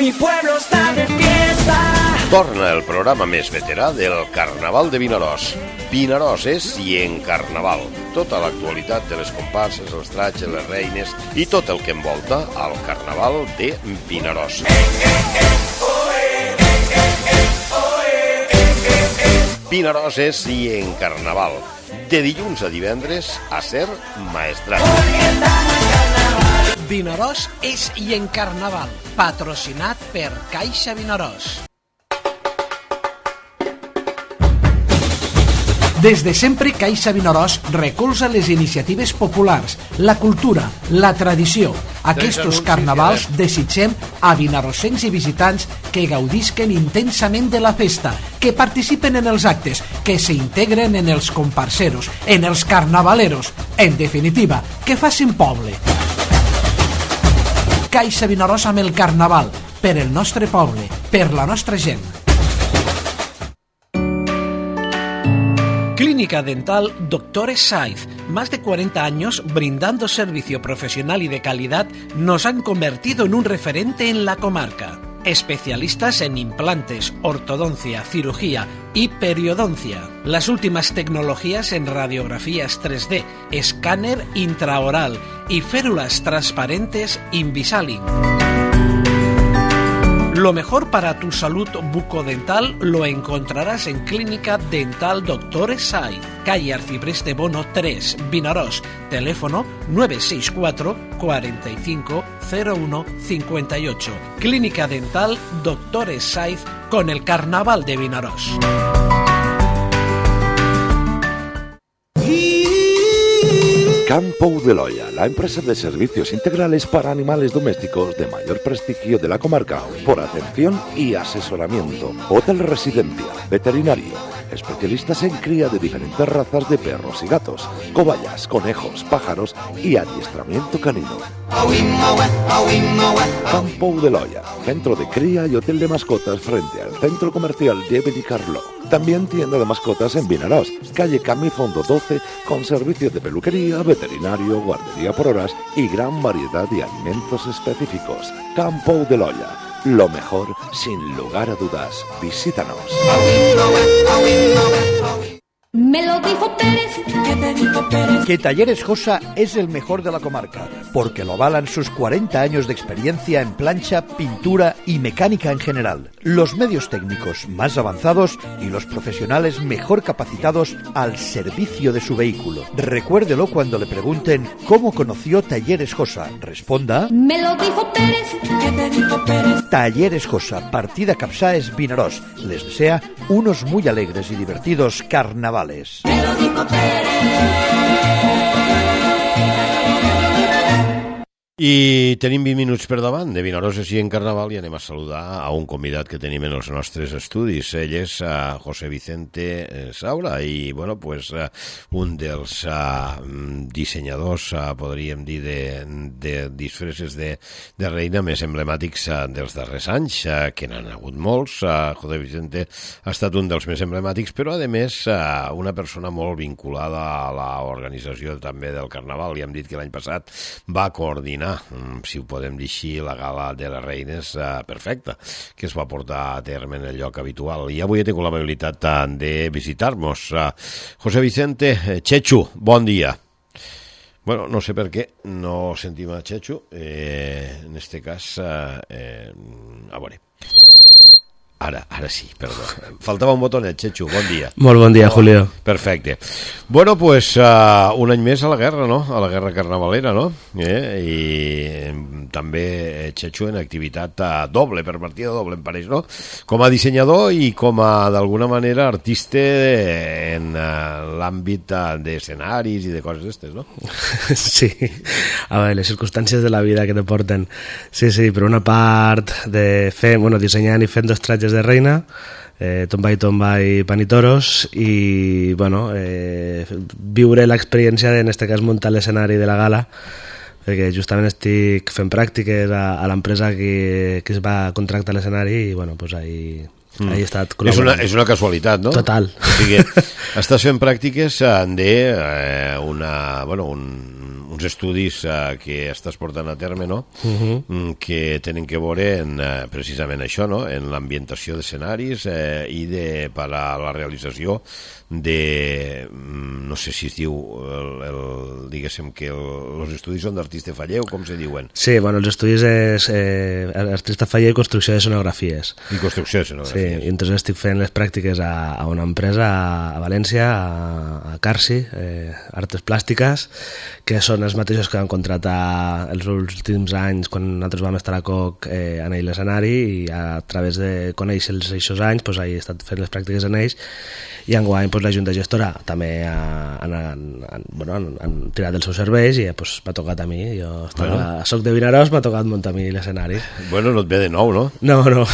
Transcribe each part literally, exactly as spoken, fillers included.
Mi pueblo está de fiesta. Torna el programa més veterà del Carnaval de Vinaròs. Vinaròs és i en Carnaval. Tota l'actualitat de les comparses, els tratges, les reines i tot el que envolta al Carnaval de Vinaròs. Vinaròs és i en Carnaval. De dilluns a divendres a ser Maestrat. Vinaròs és i en Carnaval, patrocinat per Caixa Vinaròs. Des de sempre, Caixa Vinaròs recolza les iniciatives populars, la cultura, la tradició. Aquests carnavals desitgem a vinarossencs i visitants que gaudisquen intensament de la festa, que participen en els actes, que s'integren en els comparseros, en els carnavaleros, en definitiva, que facin poble. Caixa Vinaròs amb el Carnaval, per el nostre poble, per la nostra gent. Clínica Dental Doctores Saiz. Más de cuarenta años brindando servicio profesional y de calidad nos han convertido en un referente en la comarca. Especialistas en implantes, ortodoncia, cirugía y periodoncia. Las últimas tecnologías en radiografías tres D, escáner intraoral y férulas transparentes Invisalign. Lo mejor para tu salud bucodental lo encontrarás en Clínica Dental Doctores Saiz, calle Arcipreste Bono tres, Vinaròs, teléfono nueve seis cuatro, cuatro cinco, cero uno cinco ocho. Clínica Dental Doctores Saiz con el Carnaval de Vinaròs. Campo de Loya, la empresa de servicios integrales para animales domésticos de mayor prestigio de la comarca, por atención y asesoramiento. Hotel residencia, veterinario, especialistas en cría de diferentes razas de perros y gatos, cobayas, conejos, pájaros y adiestramiento canino. Campo de Loya, centro de cría y hotel de mascotas frente al centro comercial de Benicarló. También tienda de mascotas en Vinaròs, calle Camifondo doce, con servicios de peluquería, veterinario, guardería por horas y gran variedad de alimentos específicos. Campo de Loya, lo mejor sin lugar a dudas. Visítanos. Me lo dijo Pérez, ¿qué te dijo Pérez? Que Talleres Josa es el mejor de la comarca, porque lo avalan sus cuarenta años de experiencia en plancha, pintura y mecánica en general. Los medios técnicos más avanzados y los profesionales mejor capacitados al servicio de su vehículo. Recuérdelo cuando le pregunten cómo conoció Talleres Josa. Responda: Me lo dijo Pérez, ¿qué te dijo Pérez? Talleres Josa, partida Capsáes, Vinaròs. Les desea unos muy alegres y divertidos carnavales. Me lo dijo Pérez. I tenim vint minuts per davant de Vinaròs així en Carnaval i anem a saludar a un convidat que tenim en els nostres estudis. Ell és uh, José Vicente Saura i, bueno, pues, uh, un dels uh, dissenyadors, uh, podríem dir, de, de disfresses de, de reina més emblemàtics uh, dels darrers anys, uh, que n'han hagut molts. Uh, José Vicente ha estat un dels més emblemàtics, però, a més, uh, una persona molt vinculada a l'organització també del Carnaval. I hem dit que l'any passat va coordinar, si ho podem dir així, la gala de les reines uh, perfecta, que es va portar a terme en el lloc habitual. I avui he tingut l'amabilitat uh, de visitar-nos. Uh, José Vicente, eh, Chechu, bon dia. Bueno, no sé per què no sentim a Chechu, eh, en este cas, uh, eh, a veure. Ara, ara sí, perdó. Faltava un botonet, Chechu, bon dia. Molt bon dia, Julio. Perfecte. Bueno, pues uh, un any més a la guerra, no? A la guerra carnavalera, no? Eh? I també Chechu en activitat uh, doble, per partida doble, em pareix, no? Com a dissenyador i com a, d'alguna manera, artista en uh, l'àmbit uh, d'escenaris i de coses d'estes, no? Sí. A veure, les circumstàncies de la vida que te porten. Sí, sí, per una part de fer, bueno, dissenyant i fent dos tratges de reina, eh, tomba i tomba i pan i toros, i bueno, eh, viure l'experiència de, en este cas, muntar l'escenari de la gala, perquè justament estic fent pràctiques a, a l'empresa que, que es va contractar l'escenari i bueno, pues ahí, mm. ahí he estat col·laborant. És una, és una casualitat, no? Total. O sigui, estàs fent pràctiques de eh, una, bueno, un, uns estudis uh, que estàs portant a terme, no? Uh-huh. Mm, que tenen que veure en, uh, precisament això, no? En l'ambientació d'escenaris eh, i de, per a la realització de, no sé si es diu, el, el, diguéssim que els estudis són d'artista faller o com se diuen? Sí, bueno, els estudis és eh, artista faller i construcció de escenografies. I construcció de escenografies. Sí, i entonces estic fent les pràctiques a, a una empresa a, a València, a, a Carsi, eh, Artes Plàstiques, que són els mateixos que van contratar els últims anys quan nosaltres vam estar a Coc eh, en ell l'escenari, i a través de conèixer-los aquests anys pues, he estat fent les pràctiques en ells, i enguany pues, la Junta Gestora també han, han, han, bueno, han, han tirat els seus serveis i pues, m'ha tocat a mi. Jo estava, bueno. Soc de Vinaròs, m'ha tocat muntar a mi l'escenari. Bueno, no et ve de nou, no? No, no.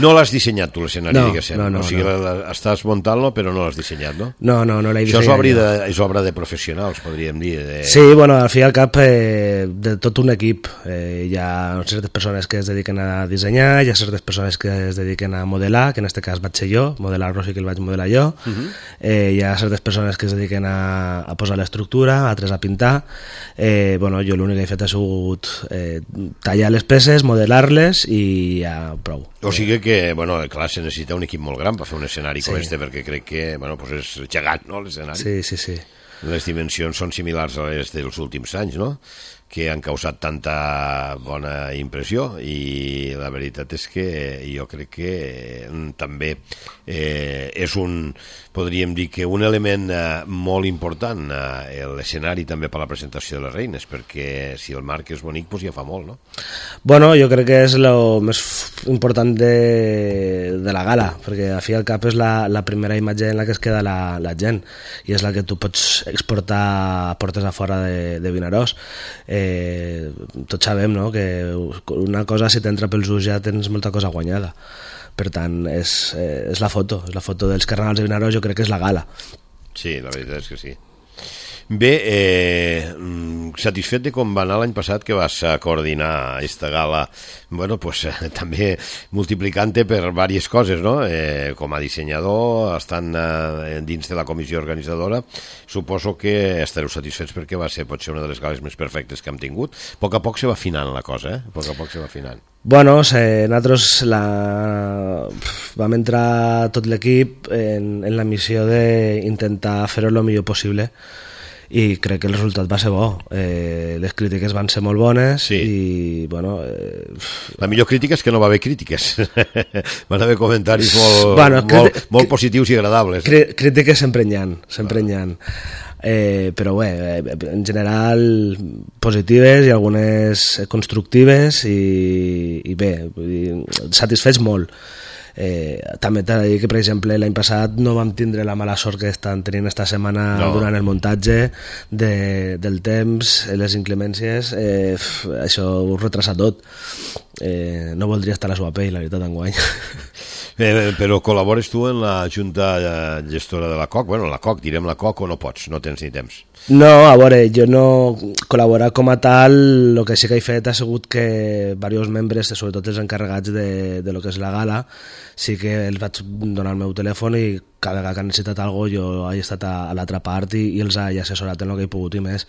No l'has dissenyat tu l'escenari, no, diguéssim. No, no, o sigui, no. La, la, estàs muntant-lo però no l'has dissenyat, no? No, no, no l'he dissenyat. Això és obra, de, és obra de professionals, podríem dir. De... Sí, bueno, al fi i al cap eh, de tot un equip. Eh, hi ha certes persones que es dediquen a dissenyar, hi ha certes persones que es dediquen a modelar, que en aquest cas vaig ser jo, modelar-lo sí que el vaig modelar jo. Uh-huh. eh, hi ha certes persones que es dediquen a, a posar l'estructura, altres a pintar. Eh, bueno, jo l'únic que he fet ha sigut eh, tallar les peces, modelar-les i ja prou. O sigui que, bueno, clar, se necessita un equip molt gran per fer un escenari sí. com este, perquè crec que, bueno, pues és gegant, no, l'escenari? Sí, sí, sí. Les dimensions són similars a les dels últims anys, no?, que han causat tanta bona impressió, i la veritat és que jo crec que també eh, és un, podríem dir que un element eh, molt important, eh, l'escenari també per la presentació de les reines, perquè si el marc és bonic, doncs ja fa molt, no? Bueno, jo crec que és el més important de, de la gala, perquè a fi al cap és la, la primera imatge en la que es queda la, la gent, i és la que tu pots exportar a portes a fora de, de Vinaròs. Eh, tots sabem, no?, que una cosa si t'entra pels ulls ja tens molta cosa guanyada. Per tant, és, eh, és la foto, és la foto dels carnavals de Vinaròs, jo crec que és la gala. Sí, la veritat és que sí. Bé, eh, satisfet de com va anar l'any passat que vas coordinar aquesta gala, bueno, pues eh, també multiplicant-te per diverses coses, no? Eh, com a dissenyador, estant eh, dins de la comissió organitzadora, suposo que estareu satisfets perquè va ser potser una de les gales més perfectes que hem tingut. A poc a poc se va afinant la cosa, eh? A poc a poc se va afinant. Bueno, eh, nosaltres la... vam entrar tot l'equip en, en la missió d'intentar fer-ho el millor possible, i crec que el resultat va ser bo. Eh, les crítiques van ser molt bones, sí. I bueno... Eh... La millor crítica és que no va haver crítiques. Van haver comentaris molt, bueno, molt, críti... molt positius i agradables. Crí crítiques sempre n'hi ha, sempre n'hi ha. Eh, però bé, en general positives i algunes constructives, i, i bé, satisfets molt. Eh, també t'he de dir que, per exemple, l'any passat no vam tindre la mala sort que estan tenint esta setmana no. durant el muntatge de, del temps, les inclemències, eh, això ho retrasa tot. Eh, no voldria estar a la seva pell, la veritat, enguany. Eh, però col·labores tu en la junta gestora de la C O C? Bueno, la C O C, direm la C O C, o no pots, no tens ni temps? No, a veure, jo no col·laborar com a tal, el que sí que he fet ha sigut que diversos membres, sobretot els encarregats de, de lo que és la gala, sí que els vaig donar el meu telèfon i cada vegada que han necessitat alguna cosa jo he estat a, a l'altra part i, i els he assessorat en el que he pogut i més.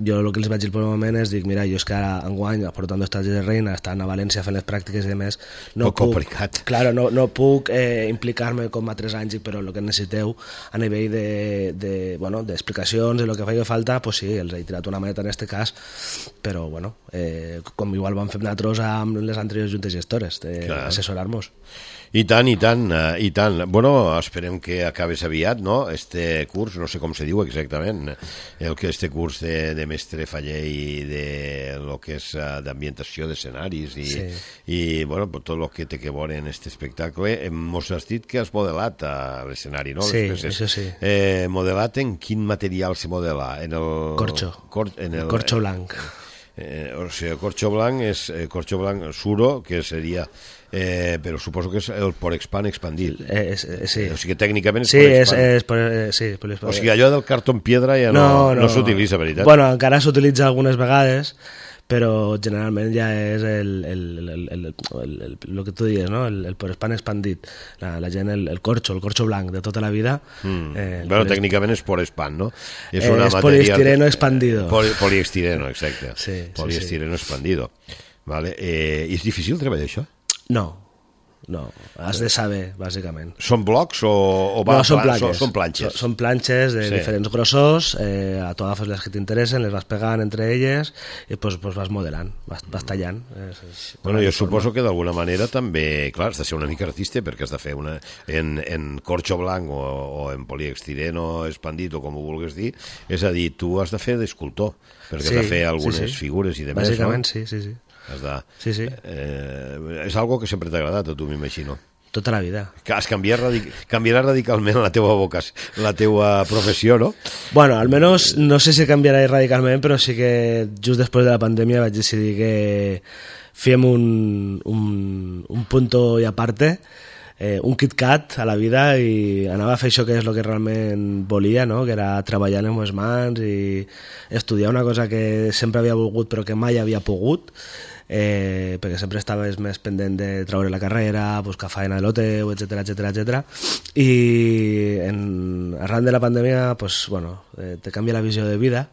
Jo el que els vaig dir per un moment és dir, mira, jo és que ara enguany, portant estatges de reina, estan a València fent les pràctiques i més, no Poc puc, complicat. Claro, no, no puc eh, implicar-me com a tres anys, però el que necessiteu a nivell de, de, bueno, d'explicacions, de lo que faci falta, pues sí, els he tirat una maneta en este cas, però bueno, eh, com igual vam fer nosaltres amb les anteriors juntes gestores, d'assessorar-nos. I tant, i tant, i tant. Bueno, esperem que acabes aviat, no?, este curs, no sé com se diu exactament, el que este curs de, de mestre faller i de lo que és d'ambientació d'escenaris i, sí. i bueno, tot el que té que veure en este espectacle. Mos has dit que has modelat a l'escenari, no? Sí, això sí. Eh, modelat en quin material se modela? En el... Corcho, cor... en el... corcho blanc. Eh, o sigui, corcho blanc és eh, corcho blanc suro, que seria... Eh, però suposo que és el Porexpan expandit. Eh, eh, sí. O sigui, tècnicament és sí, Porexpan. És, és, eh, sí, Porexpan. O sigui, allò del cartó en piedra ja no, no, no, no s'utilitza, veritat? Bueno, encara s'utilitza algunes vegades, però generalment ja és el, el, el, el, el, el, el, el que tu dius, no? el, el porespan expandit, la, la gent, el, el corxo, el corxo blanc de tota la vida. Mm. Eh, bueno, polist... tècnicament és porespan, no? És, una és poliestireno expandido. Poli, poliestireno, exacte. Sí, poliestireno sí, sí. expandido. Vale. Eh, és difícil treballar això? No. No, has de saber, bàsicament. Són blocs o, o va, no, són plan, planxes. Són planxes. Són, són planxes de sí. diferents grossors, eh, tu agafes les que t'interessen, les vas pegant entre elles i pues, pues vas modelant, vas, vas tallant. És, és bueno, jo suposo que d'alguna manera també, clar, has de ser una mica artista perquè has de fer una, en, en corxo blanc o, o en poliestireno expandit o com ho vulguis dir, és a dir, tu has de fer d'escultor perquè sí, has de fer algunes sí, sí. figures i demés, bàsicament, no? sí, sí, sí. Has de, sí, sí. Eh, és algo que sempre t'ha agradat a tu, m'imagino. Tota la vida. Que has canviat radic canviarà radicalment la teua vocació, la teua professió, no? Bueno, almenys no sé si canviarà radicalment, però sí que just després de la pandèmia vaig decidir que fèiem un, un, un punto i aparte, eh, un KitKat a la vida i anava a fer això que és el que realment volia, no? Que era treballar amb les mans i estudiar una cosa que sempre havia volgut però que mai havia pogut, eh, perquè sempre estaves més pendent de treure la carrera, buscar feina de lo teu, etcètera, etcètera, etcètera. I en, arran de la pandèmia pues, bueno, eh, te canvia la visió de vida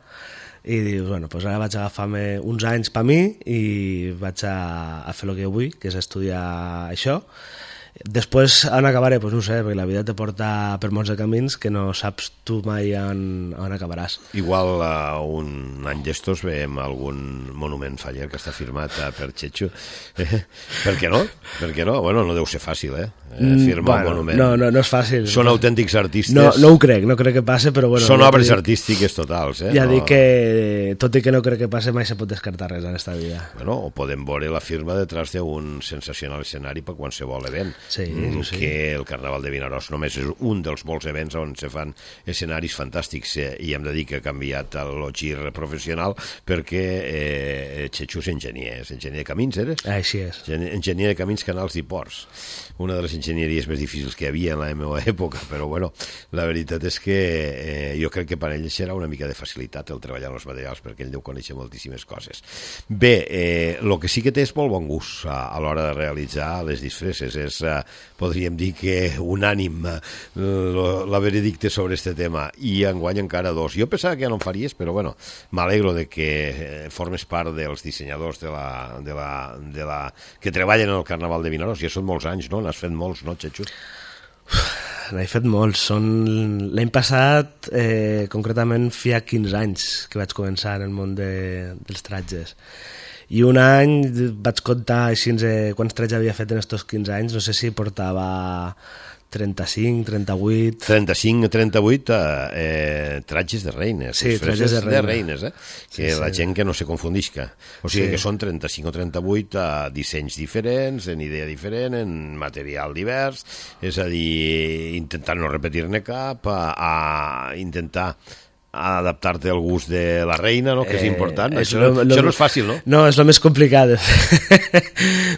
i dius, bueno, pues ara vaig agafar-me uns anys per mi i vaig a, a fer el que vull, que és estudiar això. Després on acabaré, pues no ho sé, perquè la vida te porta per molts de camins que no saps tu mai on, on acabaràs. Igual uh, un any d'estos veiem algun monument faller que està firmat uh, per Chechu. Eh, per què no? Per què no? Bueno, no deu ser fàcil, eh? eh firmar bueno, un monument. No, no, no és fàcil. Són autèntics artistes. No, no ho crec, no crec que passe, però bueno... Són ja obres dic, artístiques totals, eh? Ja no... dic que, tot i que no crec que passe, mai se pot descartar res en esta vida. Bueno, o podem veure la firma detrás d'un sensacional escenari per qualsevol event. Sí, mm, sí. Que el Carnaval de Vinaròs només és un dels molts events on se fan escenaris fantàstics, eh, i hem de dir que ha canviat el gir professional perquè eh, Chechu és enginyer, és enginyer de camins, eres? Així és. Enginyer de camins, canals i ports. Una de les enginyeries més difícils que hi havia en la meva època, però bueno, la veritat és que eh, jo crec que per ell serà una mica de facilitat el treballar en els materials, perquè ell deu conèixer moltíssimes coses. Bé, eh, el que sí que té és molt bon gust a, a l'hora de realitzar les disfresses, és, eh, podríem dir que unànim eh, la veredicte sobre este tema, i enguany encara dos. Jo pensava que ja no en faries, però bueno, m'alegro de que eh, formes part dels dissenyadors de la, de la, de la, que treballen en el Carnaval de Vinaròs. Ja són molts anys, no? N'has fet molts, no, Chechu? N'he fet molts. Són... L'any passat, eh, concretament, feia quinze anys que vaig començar en el món de, dels tratges. I un any vaig comptar així, eh, quants tratges havia fet en aquests quinze anys, no sé si portava trenta-cinc, trenta-vuit... trenta-cinc o trenta-vuit eh, tratges de reines. Sí, tratges de, reina. de reines, eh? Que sí, la sí. gent que no se confundisca. O sigui sí. que són trenta-cinc o trenta-vuit eh, dissenys diferents, en idea diferent, en material divers, és a dir, intentar no repetir-ne cap, a, a intentar a adaptar-te al gust de la reina, no? Que és important. Eh, això, lo, lo, això no és fàcil, no? No, és el més complicat, de,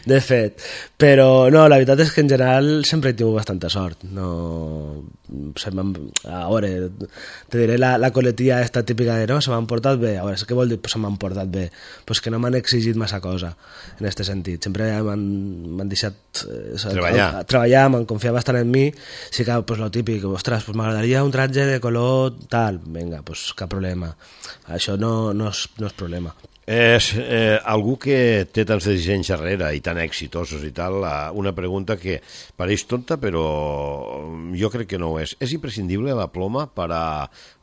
de fet. Però, no, la veritat és que en general sempre he tingut bastanta sort. No, se a veure, te diré la, la coletilla esta típica de no, se m'han portat bé. A veure, què vol dir se m'han portat bé? Pues que no m'han exigit massa cosa, en aquest sentit. Sempre m'han deixat eh, treballar, a, a, treballar m'han confiat bastant en mi. Sí que, pues, lo típic, ostres, pues, m'agradaria un tratge de color tal, vinga, pues cap problema. Això no, no, és, no és problema. És eh, algú que té tants dissenys darrere i tan exitosos i tal, una pregunta que pareix tonta, però jo crec que no ho és. És imprescindible la ploma per a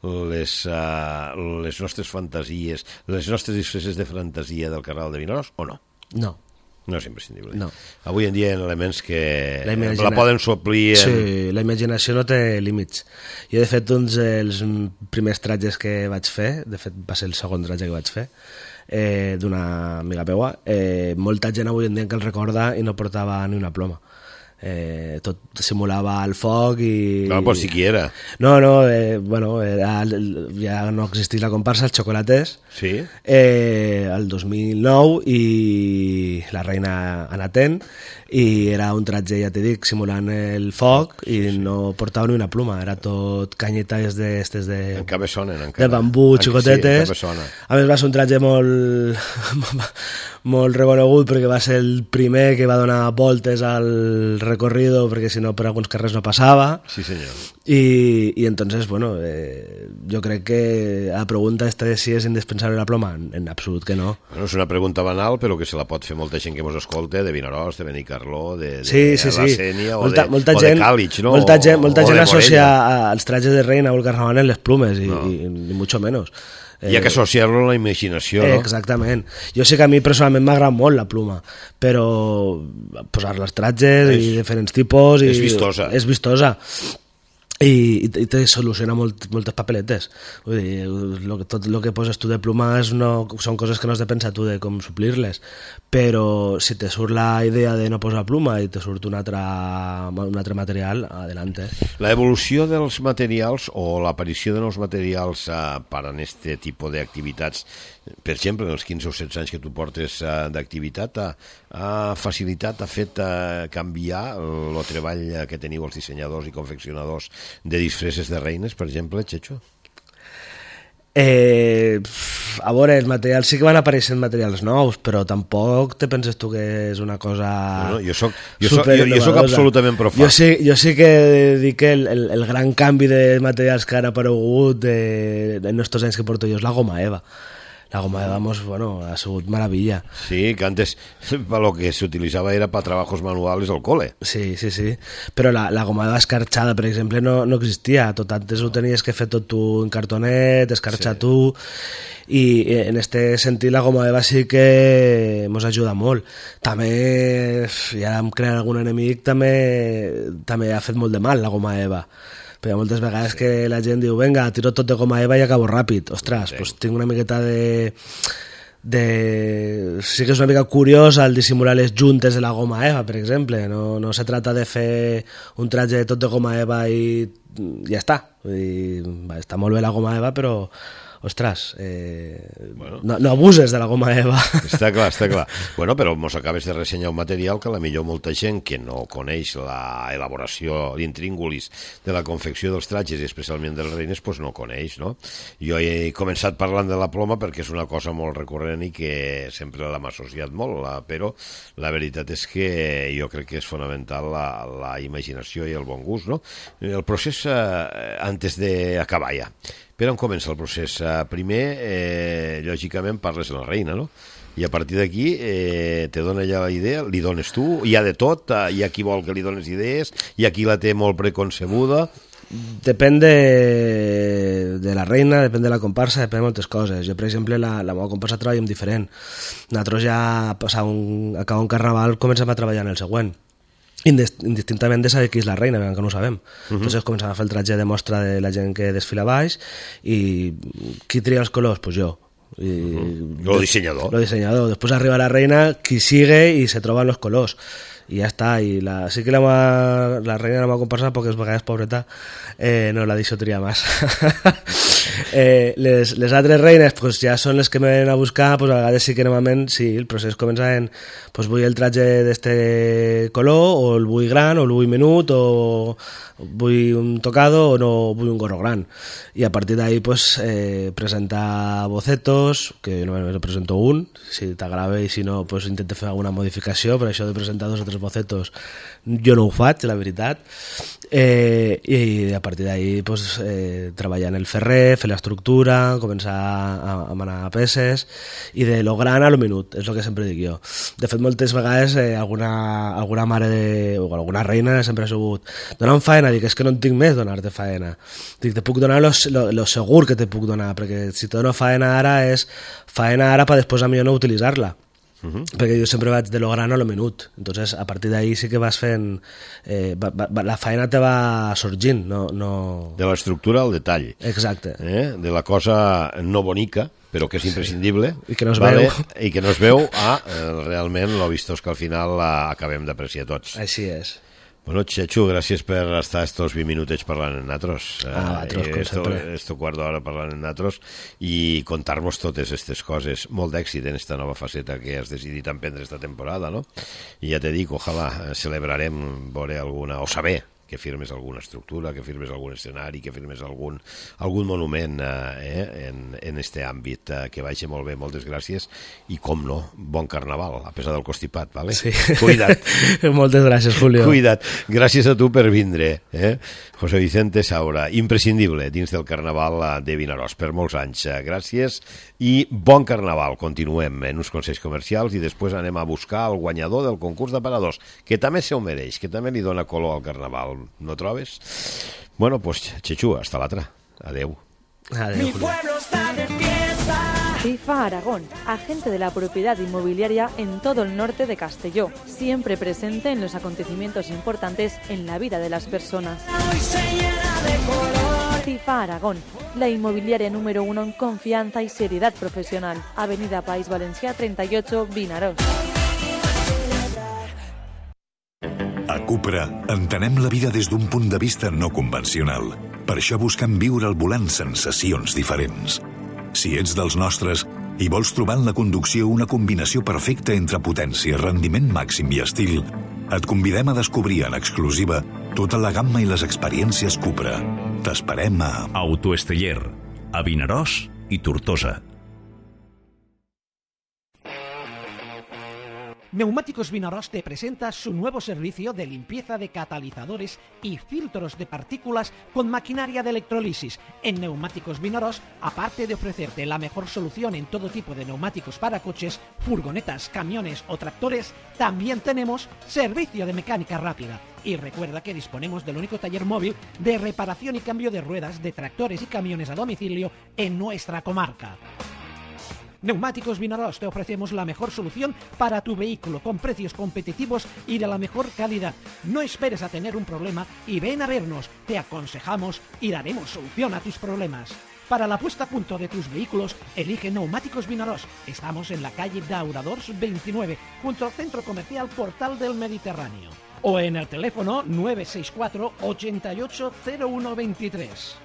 les, uh, les nostres fantasies, les nostres disfresses de fantasia del Carnaval de Vinaròs, o no? No. No és imprescindible. No. Avui en dia hi ha elements que la, imagina... la poden suplir... En... Sí, la imaginació no té límits. Jo, de fet, uns dels primers tratges que vaig fer, de fet va ser el segon tratge que vaig fer, eh, d'una amiga meua, eh, molta gent avui en dia que el recorda i no portava ni una ploma. Eh, tot simulava el foc i... No, pues siquiera. No, no, eh, bueno, era, ja no existís la comparsa, els xocolates, sí. eh, el dos mil nou, i la reina anatent, i era un tratge, ja t'he dit, simulant el foc i sí, sí. no portava ni una pluma, era tot canyetes de, estes de, encara sonen, encara. de bambú, xicotetes. Sí, a més va ser un tratge molt molt reconegut perquè va ser el primer que va donar voltes al recorrido, perquè si no per alguns carrers no passava. Sí, senyor. I, i entonces, bueno, eh, jo crec que la pregunta esta de si és indispensable la ploma, en, en absolut que no. Bueno, és una pregunta banal, però que se la pot fer molta gent que mos escolta, de Vinaròs, de Benicarló, de, de sí, sí, la sí. Sénia o, molta, de, molta o gent, de Càlig, no? Molta gent, molta o gent associa Morella. als tratges de reina o el carnaval en les plumes, i, no. i, ni mucho menos. Hi ha que associar-lo a la imaginació, no? Exactament. Jo sé que a mi personalment m'agrada molt la pluma, però posar-la als tratges és, i diferents tipus... I és vistosa. És vistosa. I, i te soluciona molt, moltes papeletes. Vull dir, lo que, tot el que poses tu de plumes no, són coses que no has de pensar tu de com suplir-les, però si te surt la idea de no posar pluma i te surt un altre, un altre material, adelante. La evolució dels materials o l'aparició de nous materials eh, per a aquest tipus d'activitats, per exemple, en els quinze o setze anys que tu portes eh, d'activitat, ha, ha facilitat, ha fet eh, canviar el treball que teniu els dissenyadors i confeccionadors de disfresses de reines, per exemple, Checho? Eh, a veure, els materials sí que van apareixent materials nous, però tampoc te penses tu que és una cosa bueno, jo soc, jo soc, jo, jo soc absolutament profà. Jo sí, jo sí que dic que el, el, el gran canvi de materials que han aparegut de, en estos anys que porto jo és la goma eva. La goma eva, bueno, ha sigut maravilla. Sí, que antes lo que se utilizaba era para trabajos manuales al cole. Sí, sí, sí. Però la, la goma eva escarxada, per exemple, no, no existia. Tot antes ho tenies que fer tot tu en cartonet, escarxar sí. tu, i en este sentit la goma eva sí que mos ajuda molt. També, i ara em crea algun enemic, també, també ha fet molt de mal la goma eva. Però hi ha moltes vegades que la gent diu venga, tiro tot de goma eva i acabo ràpid. Ostres, doncs tinc una miqueta de... de... sí que és una mica curiosa el dissimular les juntes de la goma eva, per exemple. No, no se trata de fer un tratge tot de goma eva i ja està. Vull dir, va, està molt bé la goma eva, però ostres, eh, bueno. no, no abuses de la goma eva. Està clar, està clar. Bueno, però mos acabes de ressenyar un material que a la millor molta gent que no coneix la elaboració d'intríngulis de la confecció dels tratges i especialment de les reines, pues no coneix, no? Jo he començat parlant de la ploma perquè és una cosa molt recurrent i que sempre l'hem associat molt, però la veritat és que jo crec que és fonamental la, la imaginació i el bon gust, no? El procés, eh, antes d'acabar ja, per on comença el procés? Primer, eh, lògicament, parles de la reina, no? I a partir d'aquí eh, te dona ja la idea, li dones tu, hi ha de tot, hi ha qui vol que li dones idees, hi ha qui la té molt preconcebuda. Depèn de, de la reina, depèn de la comparsa, depèn de moltes coses. Jo, per exemple, la, la meva comparsa treballem diferent. Nosaltres ja, passar un, acabar un carnaval, comencem a treballar en el següent. Indistintament de saber qui és la reina, que no ho sabem. Uh-huh. Entonces començam a fer el tratge de mostra de la gent que desfila baix i qui tria els colors? Pues jo. I uh-huh. Lo dissenyador. Lo dissenyador. Després arriba la reina, qui sigue i se troben los colors. I ja està. I la, sí que la, ma, la reina no m'ha comparsat poques vegades, pobreta, eh, no la deixo triar massa. eh, les, les altres reines pues, ja són les que me venen a buscar, pues, a vegades sí que normalment sí, el procés comença en pues, vull el tratge d'este color, o el vull gran, o el vull menut, o vull un tocado, o no vull un gorro gran. I a partir d'ahí pues, eh, presentar bocetos, que només presento un, si t'agrada, i si no pues, intento fer alguna modificació, per això de presentar dos o tres bocetos jo no ho faig, la veritat, eh, i a partir d'ahí pues, eh, treballar en el ferrer, fer l'estructura, començar a, a manar peces, i de lo gran a lo minut, és el que sempre dic jo. De fet, moltes vegades eh, alguna, alguna mare de, o alguna reina sempre ha sabut donar-me faena, dic, és que no en tinc més donar-te faena, dic, te puc donar lo, lo, lo segur que te puc donar, perquè si te dono faena ara és faena ara per després a mi no utilitzar-la. Uh-huh. Perquè jo sempre vaig de lo gran a lo minut, entonces a partir d'ahí sí que vas fent eh, va, va, la feina te va sorgint, no, no... de l'estructura al detall, exacte, eh? De la cosa no bonica però que és imprescindible, sí. I que no es vale? veu i que no es veu a eh, realment lo vistós que al final la acabem d'apreciar tots. Així és. Bueno, Chechu, gràcies per estar estos vint minutets parlant en natros. Ah, eh, esto, esto quart d'hora parlant en natros i contar-vos totes aquestes coses. Molt d'èxit en esta nova faceta que has decidit emprendre esta temporada, no? I ja te dic, ojalà celebrarem veure alguna, o saber que firmes alguna estructura, que firmes algun escenari, que firmes algun, algun monument eh, en, en este àmbit, eh, que vagi molt bé, moltes gràcies, i com no, bon carnaval, a pesar del constipat, vale? Sí. Cuida't. Moltes gràcies, Julio. Cuida't. Gràcies a tu per vindre, eh? José Vicente Saura, imprescindible dins del carnaval de Vinaròs per molts anys. Gràcies i bon carnaval. Continuem en uns consells comercials i després anem a buscar el guanyador del concurs d'aparadors, que també se ho mereix, que també li dona color al carnaval. ¿No trobes? Bueno, pues Chechu, hasta l'altra. Adeu. Adeu, Mi pueblo está de fiesta. FIFA Aragón, agente de la propiedad inmobiliaria en todo el norte de Castelló, siempre presente en los acontecimientos importantes en la vida de las personas. Hoy se llena de color. FIFA Aragón, la inmobiliaria número uno en confianza y seriedad profesional. Avenida País Valencià treinta y ocho, Vinaròs. A Cupra entenem la vida des d'un punt de vista no convencional. Per això buscam viure al volant sensacions diferents. Si ets dels nostres i vols trobar en la conducció una combinació perfecta entre potència, rendiment màxim i estil, et convidem a descobrir en exclusiva tota la gamma i les experiències Cupra. T'esperem a Autoesteller, a Vinaròs i Tortosa. Neumáticos Vinaròs te presenta su nuevo servicio de limpieza de catalizadores y filtros de partículas con maquinaria de electrolisis. En Neumáticos Vinaròs, aparte de ofrecerte la mejor solución en todo tipo de neumáticos para coches, furgonetas, camiones o tractores, también tenemos servicio de mecánica rápida. Y recuerda que disponemos del único taller móvil de reparación y cambio de ruedas de tractores y camiones a domicilio en nuestra comarca. Neumáticos Vinaròs, te ofrecemos la mejor solución para tu vehículo con precios competitivos y de la mejor calidad. No esperes a tener un problema y ven a vernos, te aconsejamos y daremos solución a tus problemas. Para la puesta a punto de tus vehículos, elige Neumáticos Vinaròs. Estamos en la calle Dauradors veintinueve, junto al Centro Comercial Portal del Mediterráneo. O en el teléfono nueve seis cuatro, ochenta y ocho, cero uno veintitrés.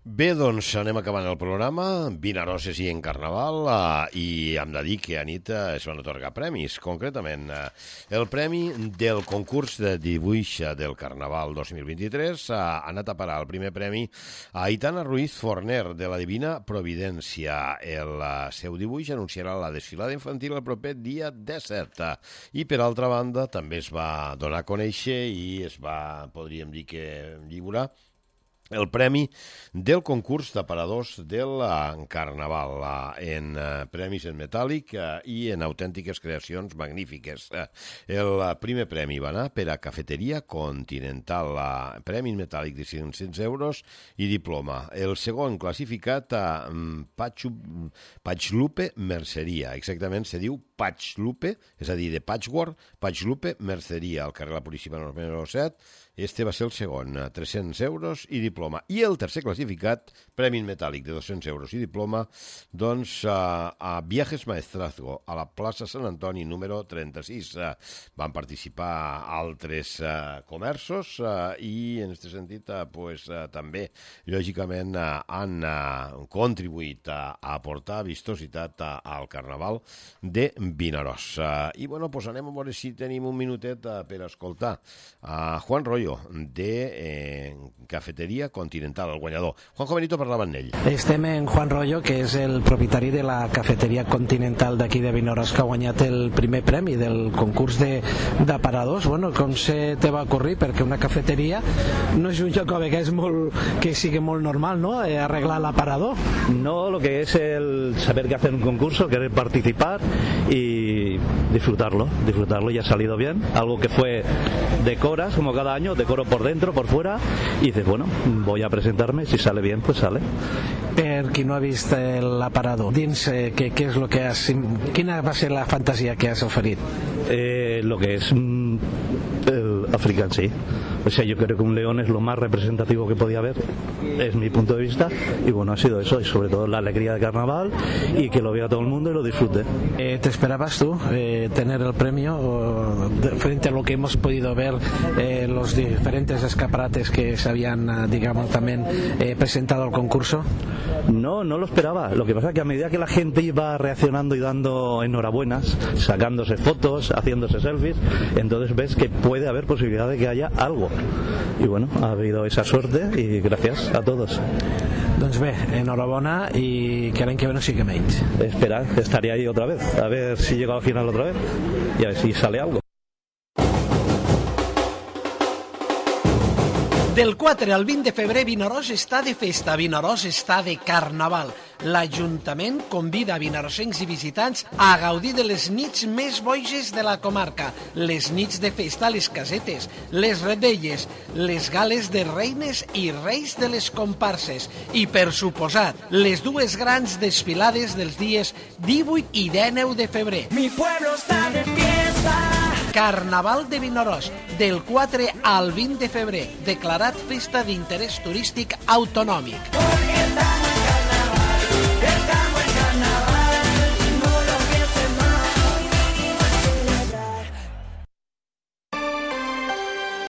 Bé, doncs anem acabant el programa. Vinaròs és en Carnaval eh, i hem de dir que a nit eh, es van atorgar premis. Concretament, eh, el premi del concurs de dibuix del Carnaval dos mil vint-i-tres ha anat a parar el primer premi a Aitana Ruiz Forner, de la Divina Providència. El eh, seu dibuix anunciarà la desfilada infantil el proper dia disset. I, per altra banda, també es va donar a conèixer i es va, podríem dir que lliurar, el premi del concurs d'aparadors del Carnaval, en premis en metàl·lic i en autèntiques creacions magnífiques. El primer premi va anar per a Cafeteria Continental, premi en metàl·lic de cinc-cents euros i diploma. El segon classificat a Patxlupe Merceria, exactament se diu Patxlupe, és a dir, de Patchwork, Patxlupe Merceria, al carrer La Puríssima número set. Este va ser el segon, tres-cents euros i diploma. I el tercer classificat, premi metàl·lic de dos-cents euros i diploma, doncs a, a Viajes Maestrazgo, a la plaça Sant Antoni, número trenta-sis. Van participar altres uh, comerços uh, i, en aquest sentit, uh, pues, uh, també, lògicament, uh, han uh, contribuït a, a aportar vistositat uh, al Carnaval de Vinaròs. Uh, I, bueno, pues anem a veure si tenim un minutet uh, per escoltar a Juan Royo, de eh, Cafeteria Continental, el guanyador. Juanjo Benito parlava amb ell. Estem en Juan Royo, que és el propietari de la Cafeteria Continental d'aquí de Vinaròs, que ha guanyat el primer premi del concurs d'aparadors. Bueno, com se te va ocurrir? Perquè una cafeteria no és un lloc que, és molt, que sigui molt normal, ¿no? Eh, arreglar l'aparador. No, lo que es el saber que hacer un concurso, querer participar y disfrutarlo, disfrutarlo, y ha salido bien. Algo que fue decoras, como cada año, decoro por dentro, por fuera, y dices, bueno, voy a presentarme, si sale bien, pues sale. Per qui no ha vist l'aparador, dins eh, què, què és lo que has, quina va ser la fantasia que has oferit? Eh, lo que es mm, el africán, sí. O sea, yo creo que un león es lo más representativo que podía haber, es mi punto de vista, y bueno, ha sido eso, y sobre todo la alegría de carnaval, y que lo vea todo el mundo y lo disfrute. Eh, ¿Te esperabas tú eh, tener el premio o, de, frente a lo que hemos podido ver eh, los diferentes escaparates que se habían, digamos, también eh, presentado al concurso? No, no lo esperaba. Lo que pasa es que a medida que la gente iba reaccionando y dando enhorabuenas, sacándose fotos, haciéndose selfies, entonces ves que puede haber posibilidad de que haya algo. Y bueno, ha habido esa suerte y gracias a todos. Doncs bé, enhorabona i que l'any que ve no sigui menys. Espera, estaría ahí otra vez, a ver si llego al final otra vez y a ver si sale algo. Del quatre al vint de febrer, Vinaròs està de festa, Vinaròs està de carnaval. L'Ajuntament convida a vinarosencs i visitants a gaudir de les nits més boges de la comarca, les nits de festa a les casetes, les rebelles, les gales de reines i reis de les comparses i, per suposat, les dues grans desfilades dels dies divuit i dinou de febrer. Mi pueblo está de fiesta. Carnaval de Vinaròs, del quatre al vint de febrer, declarat festa d'interès turístic autonòmic. Porque estamos en carnaval.